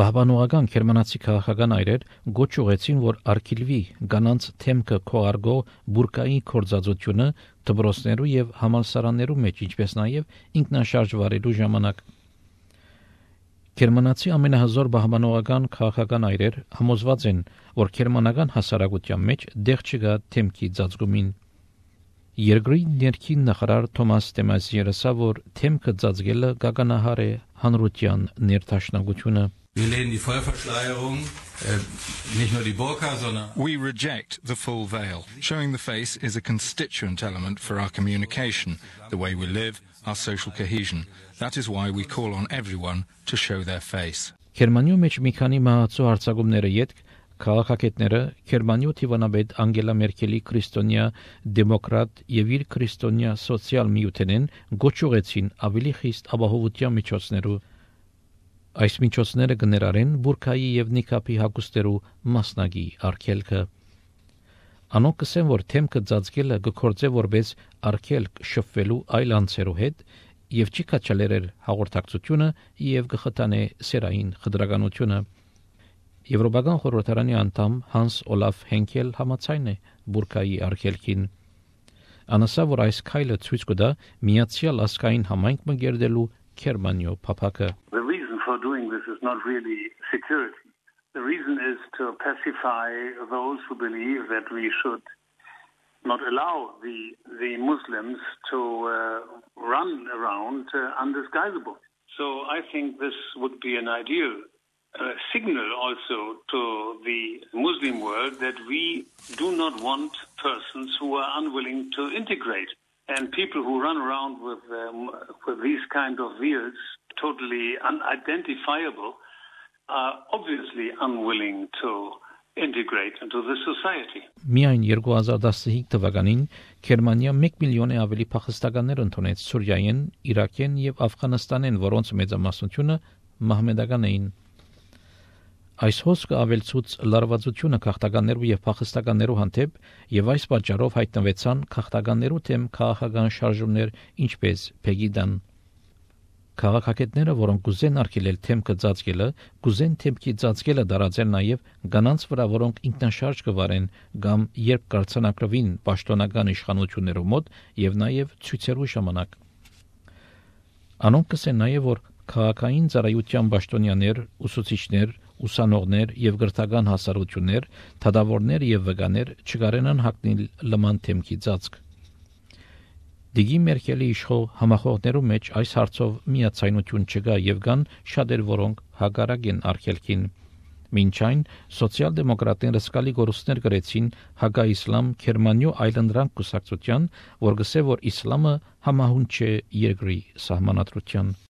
Բահբանողական գերմանացի քաղաքական այրեր գոչ ուղեցին, որ արգելվի կանանց թեմքը քողարկող բուրկայի կորձածությունը դպրոցներու եւ համալսարաններու մեջ, ինչպես նաեւ ինքնաշարժ վարելու ժամանակ։ Գերմանացի ամենահզոր բահբանողական քաղաքական այրեր համոզված են, որ գերմանական հասարակության մեջ դեղ չկա թեմքի ծածկումին։ Երկրի ներքին նախարար Թոմաս դե Մազիերը ասա, որ թեմքը ծածկելը գագանահար է հանրության ներդաշնակությունը։ Wir lehnen die Vollverschleierung, nicht nur die Burka, sondern... We reject the full veil. Showing the face is a constituent element for our communication, the way we live, our social cohesion. That is why we call on everyone to show their face. Գերմանիու մեջ մի քանի մահացու հարձակումները յետք քաղաքագետները Գերմանիու թիվանաբեդ Անգելա Մերկելի քրիստոնյա դեմոկրատ եւ իր քրիստոնյա սոցիալ միութենեն գոչ ուղեցին ավելի խիստ ապահովության միջոցներու Այս միջոցները կներառեն բուրկայի եւ նիկապի հագուստերու մասնագի արգելքը։ Անոնք կսեն, որ թեմքը ծածկելը կգործե որպես արգելք շփվելու այլ անձերու հետ եւ չի կաչալերել հաղորդակցությունը եւ կխթանե սերային խտրականությունը։ Եվրոպական խորհրդարանի անդամ Հանս Օլաֆ Հենկել համաձայն է բուրկայի արգելքին։ Անասա, որ այս քայլը ցույց կտա միացյալ ազգային համայնք մգերդելու Գերմանիո փափակը։ For doing this is not really security. The reason is to pacify those who believe that we should not allow the Muslims to run around undisguisable. So I think this would be an ideal signal also to the Muslim world that we do not want persons who are unwilling to integrate. And people who run around with these kind of veils totally unidentifiable are obviously unwilling to integrate into the society. Միայն 2015 թվականին Գերմանիա 1 միլիոն ավելի փախստականներ ընդունեց Սուրիայեն, Իրաքեն եւ Աֆղանստանեն, որոնց մեծամասնությունը մահմեդական էին։ Այս հոսքը ավելցուց լարվածությունը քաղաքականներու եւ փախստականներու հանդեպ եւ այս պատճառով հայտնվեցան քաղաքականներու թեմ քաղաքական շարժումներ, ինչպես Պեգիդան։ Քաղաքագետները, որոնք կուզեն արգելել թեմքը ծածկելը, կուզեն թեմքի ծածկելը դարաձել նաև կանանց վրա, որոնք ինքնաշարժ կվարեն կամ երբ կարձանակրվին պաշտոնական իշխանություններու մոտ եւ նաև ցույցերու ժամանակ։ Անոնք կսեն նաև, որ քաղաքային ծառայության պաշտոնյաներ, ուսուցիչներ, ուսանողներ եւ գրթական հասարություններ, թադավորներ եւ վկաներ չկարենան հագնել լման թեմքի ծածկ։ Դիգի Մերկելի իշխող համախոհներու մեջ այս հարցով միացայնություն չկա եւ կան շատեր, որոնք հակառակ են արգելքին։ Մինչ այն սոցիալ-դեմոկրատները սկալի գորուստներ գրեցին հակաիսլամ Գերմանիու այլընտրանք կուսակցության, որ գսե որ իսլամը համահունչ է երկրի սահմանադրության։